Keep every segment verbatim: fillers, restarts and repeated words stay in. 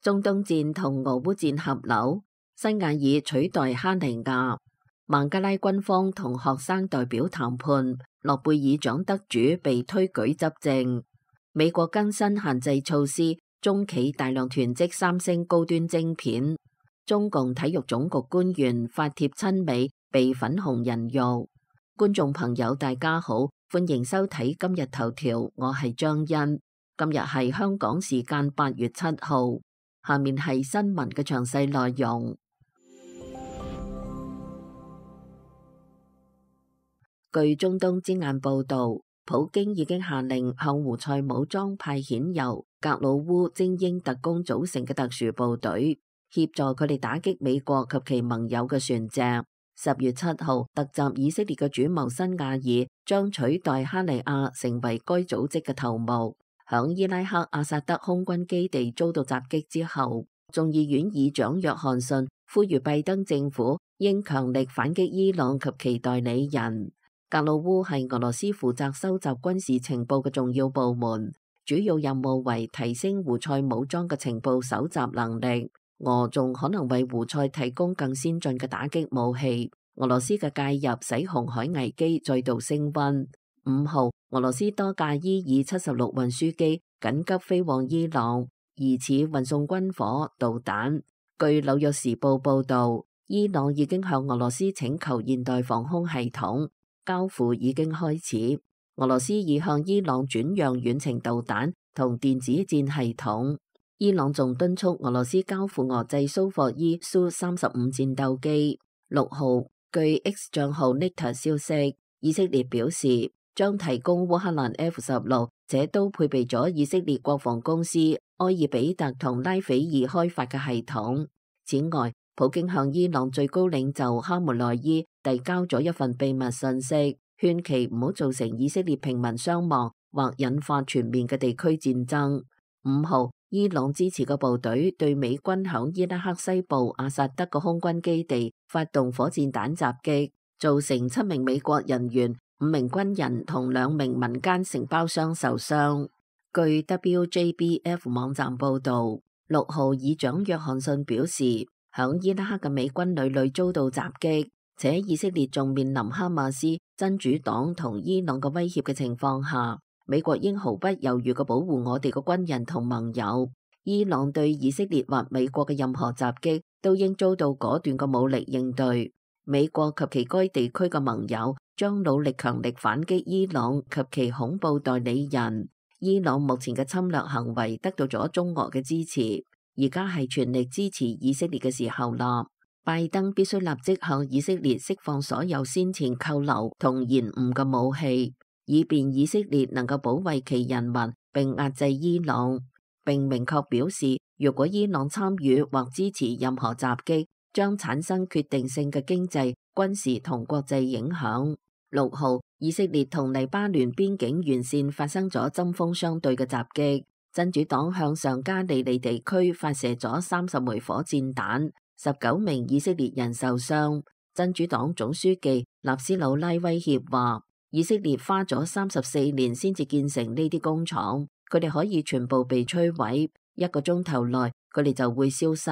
中東戰同俄烏戰合流，辛瓦爾取代哈尼亞。孟加拉軍方同學生代表談判，諾貝爾獎得主被推舉執政。美國更新限制措施，中企大量囤積三星高端晶片。中共體育總局官員發帖親美，被粉紅人肉。觀眾朋友大家好，歡迎收睇今日頭條，我係張欣。今日係香港時間八月七號，下面係新聞嘅詳細內容。據中東之眼報道，普京已經下令向胡塞武裝派遣由格魯烏精英特工組成嘅特殊部隊，協助佢哋打擊美國及其盟友嘅船隻。十月七號，突襲以色列嘅主謀辛瓦爾將取代哈尼亞成為該組織嘅頭目。響伊拉克阿薩德空軍基地遭到襲擊之後，眾議院議長約翰遜呼籲拜登政府應強力反擊伊朗及其代理人。格魯烏係俄羅斯負責收集軍事情報嘅重要部門，主要任務為提升胡塞武裝嘅情報搜集能力。俄仲可能為胡塞提供更先進嘅打擊武器。俄羅斯嘅介入使紅海危機再度升溫。五號，俄羅斯多架伊爾七十六運輸機緊急飛往伊朗，疑似運送軍火、導彈。據紐約時報報道，伊朗已經向俄羅斯請求現代防空系統，交付已經開始。俄羅斯已向伊朗轉讓遠程導彈同電子戰系統。伊朗仲敦促俄羅斯交付俄製蘇霍伊蘇三十五戰鬥機。六號，據 X 賬號 Nita 消息，以色列表示將提供烏克蘭 F 十六，這都配備咗以色列國防公司埃爾比特同拉斐爾開發嘅系統。此外，普京向伊朗最高領袖哈梅內伊遞交咗一份秘密信息，勸其唔好造成以色列平民傷亡或引發全面嘅地區戰爭。五號，伊朗支持嘅部隊對美軍響伊拉克西部阿薩德嘅空軍基地發動火箭彈襲擊，造成七名美國人員、五名軍人同兩名民間承包商受傷。據 W J B F 網站報道，六號議長約翰遜表示，響伊拉克嘅美軍屢屢遭到襲擊，且以色列仲面臨哈馬斯、真主黨同伊朗嘅威脅嘅情況下，美國應毫不猶豫嘅保護我哋嘅軍人同盟友。伊朗對以色列或美國嘅任何襲擊都應遭到果斷嘅武力應對。美國及其該地區嘅盟友將努力強力反擊伊朗及其恐怖代理人。伊朗目前嘅侵略行為得到咗中俄嘅支持，而家係全力支持以色列嘅時候啦。拜登必須立即向以色列釋放所有先前扣留同延誤嘅武器，以便以色列能夠保衛其人民並壓制伊朗。並明確表示，如果伊朗參與或支持任何襲擊，將產生決定性嘅經濟、軍事同國際影響。六號，以色列同黎巴嫩邊境沿線發生咗針鋒相對嘅襲擊，真主黨向上加利利地區發射咗三十枚火箭彈，十九名以色列人受傷。真主黨總書記納斯魯拉威脅話，以色列花咗三十四年先至建成呢啲工廠，佢哋可以全部被摧毀，一個鐘頭內佢哋就會消失。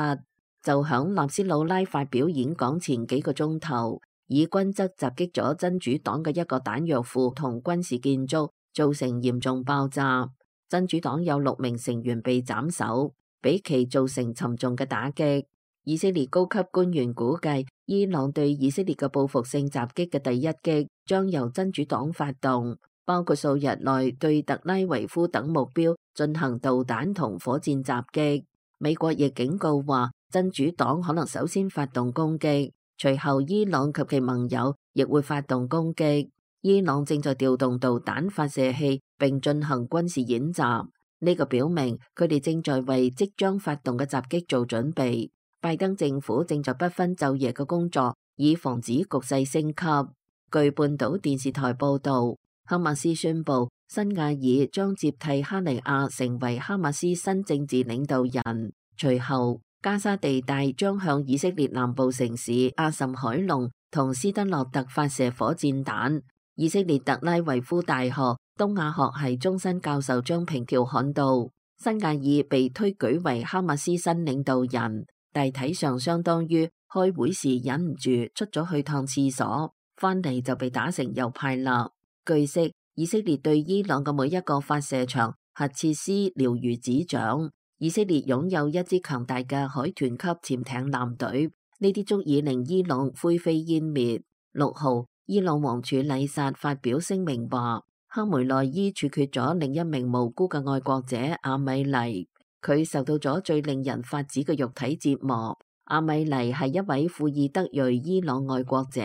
就響納斯魯拉發表演講前幾個鐘頭，以軍則襲擊咗真主黨嘅一個彈藥庫同軍事建築，造成嚴重爆炸。真主黨有六名成員被斬首，俾其造成沉重嘅打擊。以色列高級官員估計，伊朗對以色列嘅報復性襲擊嘅第一擊將由真主黨發動，包括數日內對特拉維夫等目標進行導彈同火箭襲擊。美國亦警告話，真主黨可能首先發動攻擊，隨後伊朗及其盟友亦會發動攻擊。伊朗正在調動導彈發射器並進行軍事演習，呢個表明佢哋正在為即將發動嘅襲擊做準備。拜登政府正在不分晝夜嘅工作，以防止局勢升級。據半島電視台報道，哈馬斯宣布辛瓦爾將接替哈尼亞成為哈馬斯新政治領導人。隨後，加沙地帶將向以色列南部城市阿什海龍同斯德洛特發射火箭彈。以色列特拉維夫大學東亞學系終身教授張平條刊道，辛亞爾被推舉為哈馬斯新領導人，大體上相當於開會時忍唔住出咗去趟廁所，翻嚟就被打成右派啦。據悉，以色列對伊朗嘅每一個發射場、核設施了如指掌。以色列擁有一支強大嘅海豚級潛艇艦隊，呢啲足以令伊朗灰飛煙滅。六號，伊朗王儲禮薩發表聲明話，哈梅內伊處決咗另一名無辜嘅愛國者阿米尼，佢受到咗最令人髮指嘅肉體折磨。阿米尼係一位庫爾德裔伊朗愛國者，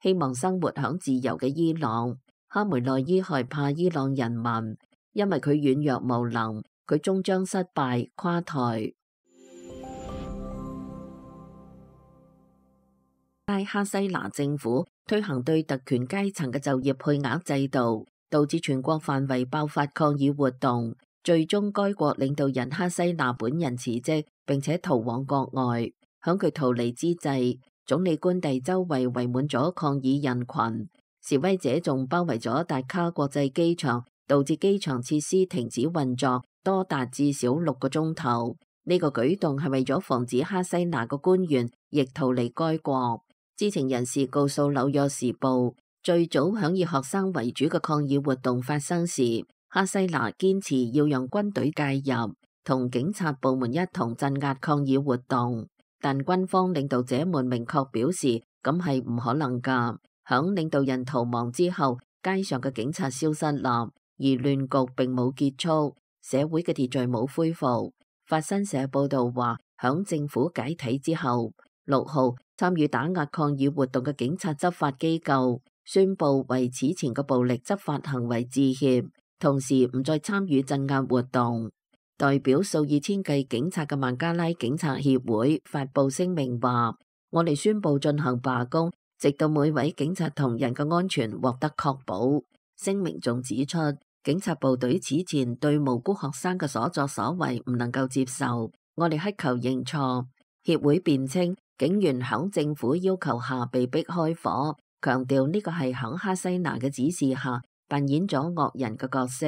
希望生活響自由嘅伊朗。哈梅內伊害怕伊朗人民，因為佢軟弱無能，佢終將失敗垮台。拉哈西拿政府推行對特權階層嘅就業配額制度，導致全國範圍爆發抗議活動，最終該國領導人哈西拿本人辭職並且逃往國外。響佢逃離之際，總理官邸周圍圍滿咗抗議人群，示威者仲包圍咗達卡國際機場，導致機場設施停止運作多達至少六個鐘頭。呢個舉動係為咗防止哈西拿個官員亦逃離該國。知情人士告訴紐約時報，最早響以學生為主嘅抗議活動發生時，哈西拿堅持要讓軍隊介入，同警察部門一同鎮壓抗議活動，但軍方領導者們明確表示咁係唔可能㗎。響領導人逃亡之後，街上嘅警察消失啦，而亂局並冇結束，社會嘅秩序冇恢復。法新社報道話，響政府解體之後，六號參與打壓抗議活動嘅警察執法機構宣布為此前嘅暴力執法行為致歉，同時唔再參與鎮壓活動。代表數以千計警察嘅孟加拉警察協會發布聲明話，我哋宣布進行罷工，直到每位警察同仁嘅安全獲得確保。聲明仲指出，警察部隊此前對無辜學生嘅所作所為唔能夠接受，我哋乞求認錯。協會辯稱，警員響政府要求下被逼開火，強調呢個係響哈西拿嘅指示下扮演咗惡人嘅角色。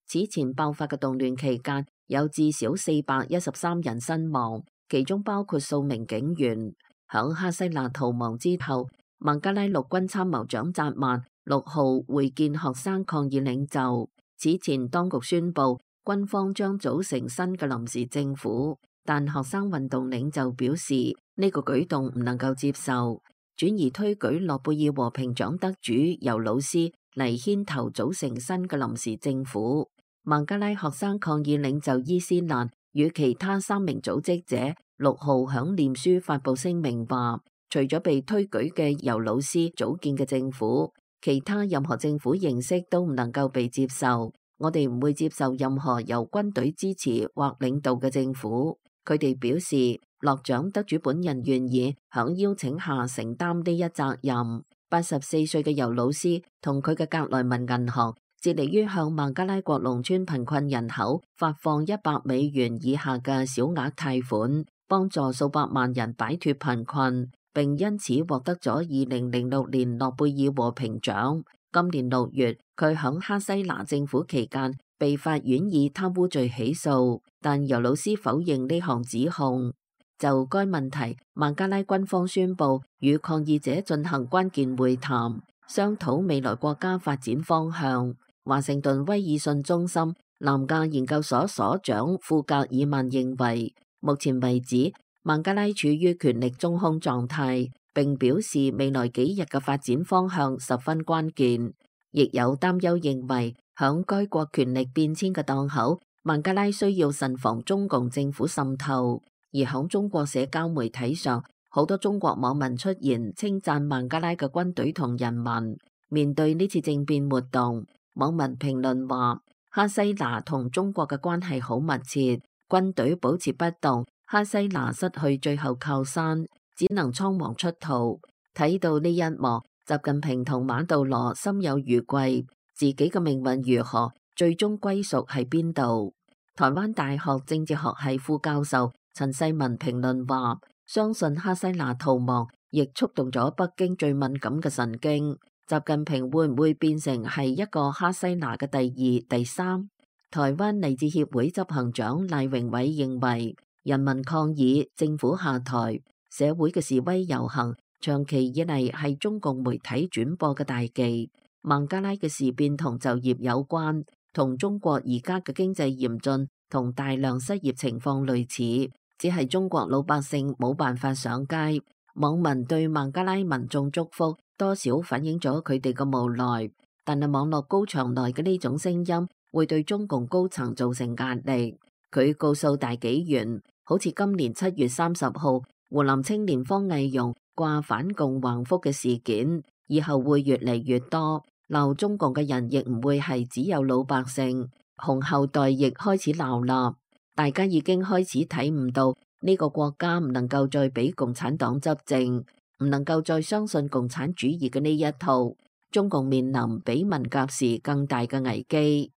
此前爆發嘅動亂期間，有至少四百一十三人身亡，其中包括數名警員。響哈西拿逃亡之後，孟加拉陸軍參謀長扎曼六號會見學生抗議領袖。此前當局宣布軍方將組成新嘅臨時政府，但學生運動領袖表示呢個舉動唔能夠接受，轉而推舉諾貝爾和平獎得主尤魯斯嚟牽頭組成新嘅臨時政府。孟加拉學生抗議領袖伊斯蘭與其他三名組織者六號響臉書發布聲明話，除咗被推舉嘅尤魯斯組建嘅政府，其他任何政府形式都唔能夠被接受。我哋唔會接受任何由軍隊支持或領導嘅政府。佢哋表示，諾獎得主本人願意響邀請下承擔呢一責任。八十四歲嘅尤魯斯同佢嘅格萊文銀行致力於向孟加拉國農村貧困人口發放一百美元以下嘅小額貸款，幫助數百萬人擺脫貧困，並因此獲得咗二零零六年諾貝爾和平獎。今年六月，佢響哈西拿政府期間被法院以貪污罪起訴，但尤魯斯否認呢項指控。就該問題，孟加拉軍方宣布與抗議者進行關鍵會談，商討未來國家發展方向。華盛頓威爾遜中心南亞研究所所長庫格爾曼認為，目前為止孟加拉處於權力中空狀態，並表示未來幾日嘅發展方向十分關鍵。亦有擔憂認為，響該國權力變遷嘅檔口，孟加拉需要慎防中共政府滲透。而響中國社交媒體上，好多中國網民出現稱讚孟加拉嘅軍隊同人民。面對呢次政變活動，網民評論話，哈西拿同中國嘅關係好密切，軍隊保持不動，哈西拿失去最後靠山，只能倉皇出逃。睇到呢一幕，習近平同馬杜羅心有餘悸，自己嘅命運如何，最終歸屬喺邊度？台灣大學政治學系副教授陳世文評論話，相信哈西拿逃亡亦觸動咗北京最敏感嘅神經。習近平會唔會變成係一個哈西拿嘅第二、第三？台灣勵志協會執行長賴榮偉認為，人民抗議政府下台，社會嘅示威遊行長期以嚟係中共媒體轉播嘅大忌。孟加拉嘅事變同就業有關，同中國而家嘅經濟嚴峻同大量失業情況類似，只係中國老百姓冇辦法上街。網民對孟加拉民眾祝福，多少反映咗佢哋嘅無奈。但係網絡高牆內嘅呢種聲音會對中共高層造成壓力。佢告訴大紀元，好似今年七月三十號湖南青年方毅容掛反共橫幅嘅事件，以後會越嚟越多。鬧中共嘅人亦唔會係只有老百姓，紅後代亦開始鬧啦。大家已經開始睇唔到呢個國家唔能夠再俾共產黨執政，唔能夠再相信共產主義嘅呢一套。中共面臨比文革時更大嘅危機。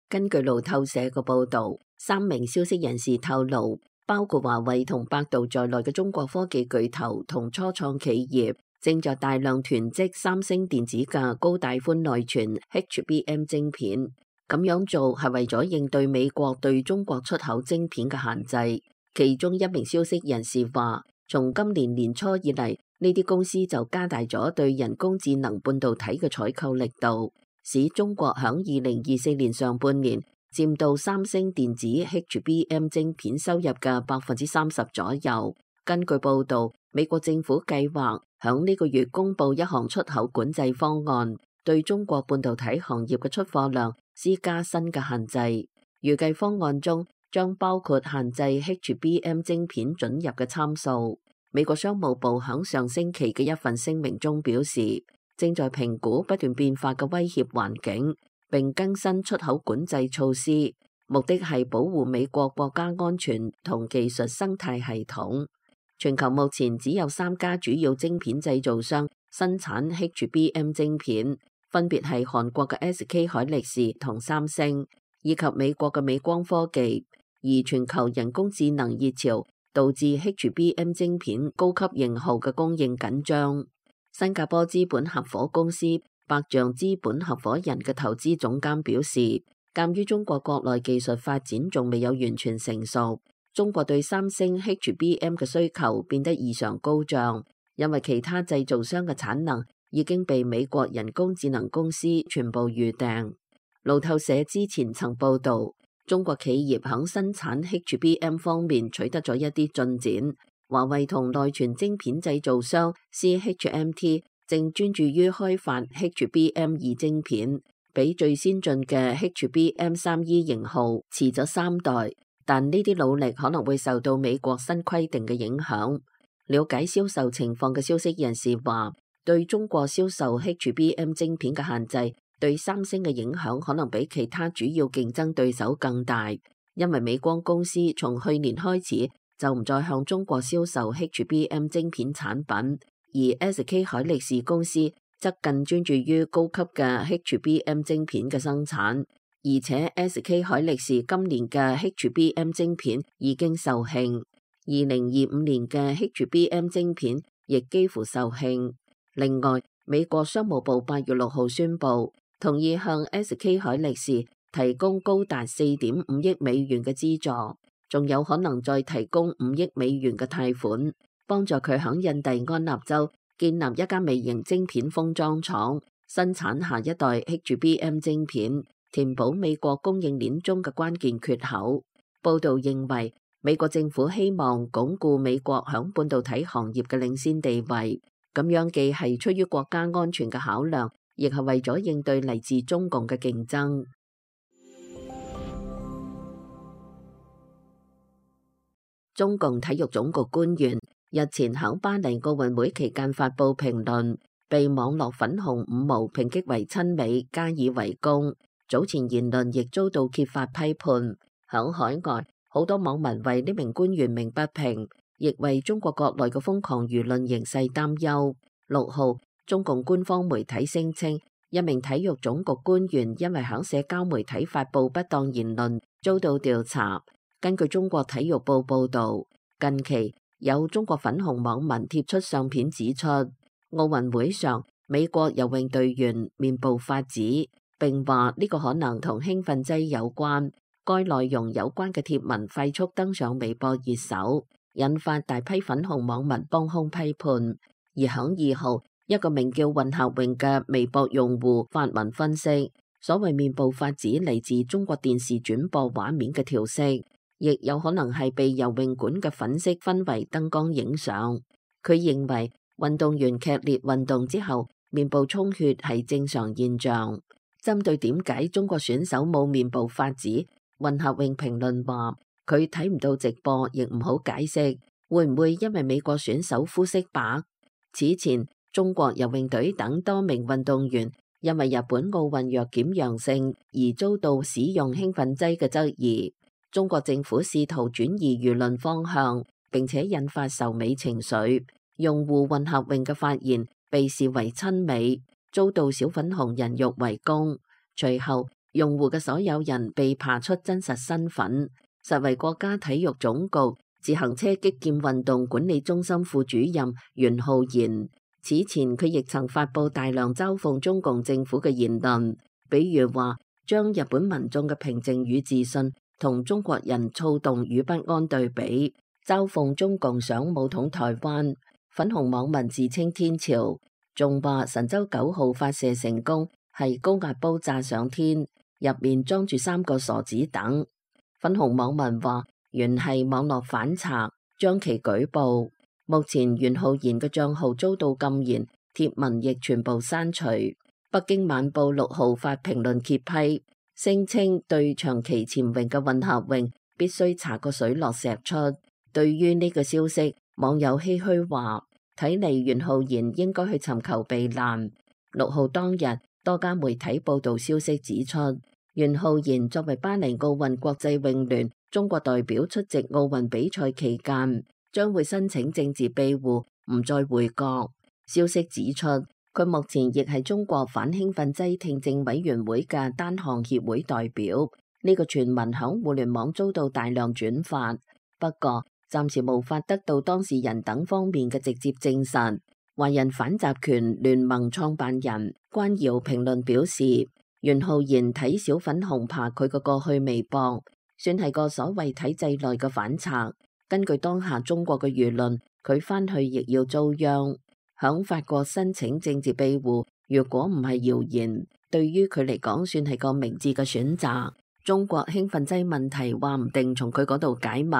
根據路透社嘅報導，三名消息人士透露，包括華為同百度在內嘅中國科技巨頭同初創企業，正在大量囤積三星電子嘅高帶寬內存 H B M 晶片。咁樣做係為咗應對美國對中國出口晶片嘅限制。其中一名消息人士話，從今年年初以嚟，呢啲公司就加大咗對人工智能半導體嘅採購力度，使中國響二零二四年上半年佔到三星電子 H B M 晶片收入嘅百分之三十左右。根據報導，美國政府計劃響呢個月公布一項出口管制方案，對中國半導體行業嘅出貨量施加新嘅限制。預計方案中將包括限制 H B M 晶片准入嘅參數。美國商務部響上星期嘅一份聲明中表示，正在評估不斷變化嘅威脅環境，並更新出口管制措施，目的係保護美國國家安全同技術生態系統。全球目前只有三家主要晶片製造商生產 H B M 晶片，分別係韓國嘅 S K 海力士同三星，以及美國嘅美光科技。而全球人工智能熱潮導致 H B M 晶片高級型號嘅供應緊張。新加坡資本合夥公司百象資本合夥人嘅投資總監表示，鑑於中國國內技術發展仲未有完全成熟，中國對三星 H B M 嘅需求變得異常高漲，因為其他製造商嘅產能已經被美國人工智能公司全部預訂。路透社之前曾報導，中國企業響生產 H B M 方面取得咗一啲進展。華為同內存晶片製造商 C H M T 正專注於開發 H B M 二晶片，比最先進嘅 H B M 三 E 型號遲咗三代，但呢啲努力可能會受到美國新規定嘅影響。了解銷售情況嘅消息人士話，對中國銷售 H B M 晶片嘅限制，對三星嘅影響可能比其他主要競爭對手更大，因為美光公司從去年開始就唔再向中國銷售 H B M 晶片產品，而 S K 海力士公司則更專注於高級嘅 H B M 晶片嘅生產，而且 S K 海力士今年嘅 H B M 晶片已經售罄，二零二五年嘅 H B M 晶片亦幾乎售罄。另外，美國商務部八月六號宣布，同意向 S K 海力士提供高達四點五億美元嘅資助，仲有可能再提供五億美元嘅貸款，幫助佢響印第安納州建立一間微型晶片封裝廠，生產下一代 H B M 晶片，填補美國供應鏈中嘅關鍵缺口。報道認為，美國政府希望鞏固美國響半導體行業嘅領先地位，咁樣既係出於國家安全嘅考量，亦係為咗應對嚟自中共嘅競爭。中共體育總局官員日前喺巴黎奧運會期間發布評論，被網絡粉紅五毛抨擊為親美，加以圍攻。早前言論亦遭到揭發批判。喺海外，好多網民為呢名官員鳴不平，亦為中國國內嘅瘋狂輿論形勢擔憂。六號，中共官方媒體聲稱，一名體育總局官員因為喺社交媒體發布不當言論，遭到調查。根據中國體育報報導，近期有中國粉紅網民貼出相片指出，奧運會上美國游泳隊員面部發紫，並話呢個可能同興奮劑有關。該內容有關嘅貼文快速登上微博熱搜，引發大批粉紅網民幫兇批判。而響二號，一個名叫混合泳嘅微博用戶發文分析，所謂面部發紫嚟自中國電視轉播畫面嘅調色，亦有可能係被游泳館嘅粉色氛圍燈光影相。佢認為運動員劇烈運動之後面部充血係正常現象。針對點解中國選手冇面部發紫，混合泳評論話佢睇唔到直播，亦唔好解釋，會唔會因為美國選手膚色白？此前中國游泳隊等多名運動員因為日本奧運藥檢陽性而遭到使用興奮劑嘅質疑，中國政府試圖轉移輿論方向，並且引發仇美情緒。用戶混合泳嘅發言被視為親美，遭到小粉紅人肉圍攻。隨後用戶嘅所有人被查出真實身份，實為國家體育總局自行車擊劍運動管理中心副主任袁浩然。此前佢亦曾發佈大量嘲諷中共政府嘅言論，比如話將日本民眾嘅平靜與自信同中國人躁動與不安對比，嘲諷中共想武統台灣。粉紅網民自稱天朝，仲話神舟九號發射成功係高壓煲炸上天，入面裝住三個傻子等。粉紅網民話原係網絡反賊，將其舉報。目前袁浩然嘅賬號遭到禁言，貼文亦全部刪除。北京晚報六號發評論揭批，聲稱對長期潛泳嘅混合泳必須查個水落石出。對於呢個消息，網友唏噓話，睇嚟袁浩然應該去尋求避難。六號當日，多家媒體報道消息指出，袁浩然作為巴黎奧運國際泳聯中國代表出席奧運比賽期間，將會申請政治庇護，唔再回國。消息指出，佢目前亦係中國反興奮劑聽證委員會嘅單項協會代表。呢個傳聞響互聯網遭到大量轉發，不過暫時無法得到當事人等方面嘅直接證實。華人反集權聯盟創辦人關堯評論表示，袁浩然睇小粉紅爬佢個過去微博，算係個所謂體制內嘅反賊。根據當下中國嘅輿論，佢返去亦要遭殃。響法國申請政治庇護，如果唔係謠言，對於佢嚟講算係個明智嘅選擇。中國興奮劑問題話唔定從佢嗰度解密。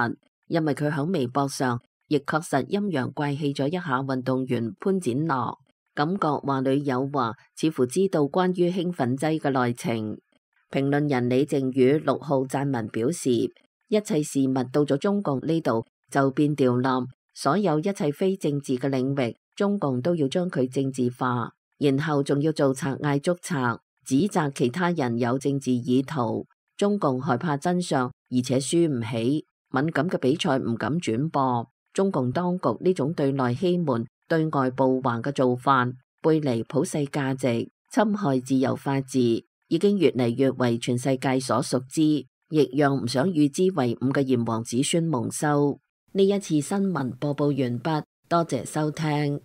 因為佢喺微博上亦確實陰陽怪氣咗一下運動員潘展樂，感覺話裏有話，似乎知道關於興奮劑嘅內情。評論人李靖宇六號撰文表示，一切事物到咗中共呢度就變調冧，所有一切非政治嘅領域，中共都要將佢政治化，然後仲要做賊嗌捉賊，指責其他人有政治意圖。中共害怕真相，而且輸唔起。敏感嘅比賽唔敢轉播，中共當局呢種對內欺瞞、對外報還嘅做法，背離普世價值、侵害自由法治，已經越嚟越為全世界所熟知，亦讓唔想與之為伍嘅炎黃子孫蒙羞。呢一次新聞播報完畢，多謝收聽。